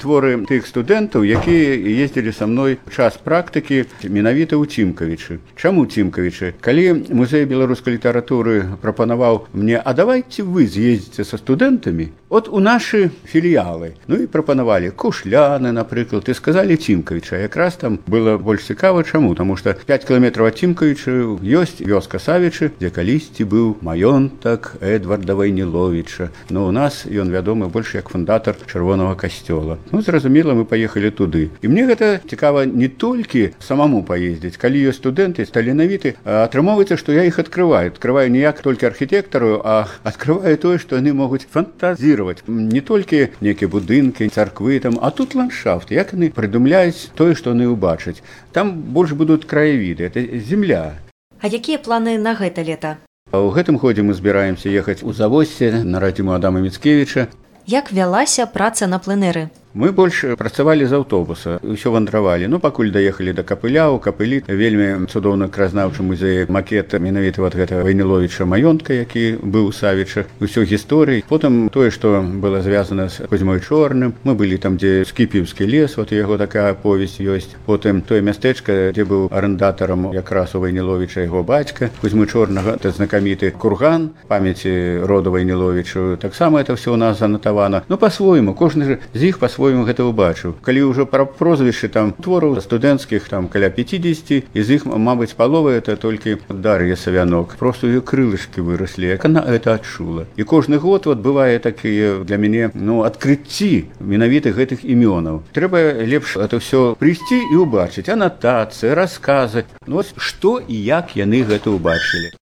творы тых студэнтаў, якія ездзілі са мной у час практыкі менавіта ў Цімкавічы. Чаму Цімкавічы? Калі музей беларускай літаратуры прапанаваў мне, а давайте вы з'ездзіце са студэнтамі от у нашы філіялы. Ну і прапанавалі Кушляны, напрыклад, і сказалі Цімкавіча. Якраз там было больш цікава, чаму? Таму што 5 кіламетраў ад Цімкавіча ёсць вёска Савічы, дзе калісьці быў маёнтак Эдварда Вайніловіча. Ну, у нас ён вядомы больш як фундатар Чырвонага касцёла. Ну, зразумела, мы паехалі туды. І мне гэта цікава не толькі самому паездзіць. Калі ёсць студэнты таленавіты, атрымоўваецца, што я іх адкрываю. Адкрываю не як толькі архітэктару, а адкрываю тое, што яны могуць фантазіраваць. Не толькі нейкія будынкі, царквы там, а тут ландшафт. Як яны прыдумляюць тое, што яны ўбачаць. Там больш будуць краявіды, это земля. А якія планы на гэта лета? У гэтым годзе мы збіраемся ехаць у Завоссе на радзіму Адама Міцкевіча. Як вялася праца на пленэры? Мы больш працавалі з аўтобуса, усё вандравалі. Ну, пакуль даехалі да Капыля, у Капылі вельмі цудоўны краязнаўчы музей макет менавіта вот гэтага Вайніловіча маёнтка, які быў у Савіча, усё гісторыі. Потым тое, што было звязана з Кузьмой Чорным. Мы былі там, дзе Скіпіўскі лес, вот яго такая аповесць ёсць. Потым тое мястэчка, дзе быў арендатарам якраз у Вайніловіча яго бацька, Кузьмы Чорнага, это знакаміты курган памяці роду Вайніловічу. Таксама это ўсё у нас занатавана. Ну, па-свойму, кожны з іх па-свойму гэта ўбачыў. Калі ўжо пра прозвішчы там твораў студэнцкіх там каля 50, з іх, мабыць, палова это толькі Дар'я Савянок. Просто ее крылышкі выраслі, як она это адчула. І кожны год вот бывае такія для мяне, ну, адкрыцці менавіта гэтых імёнаў. Трэба лепш это ўсё прыйсці і ўбачыць анатацыі, расказы. Ну, вот што і як яны гэта ўбачылі.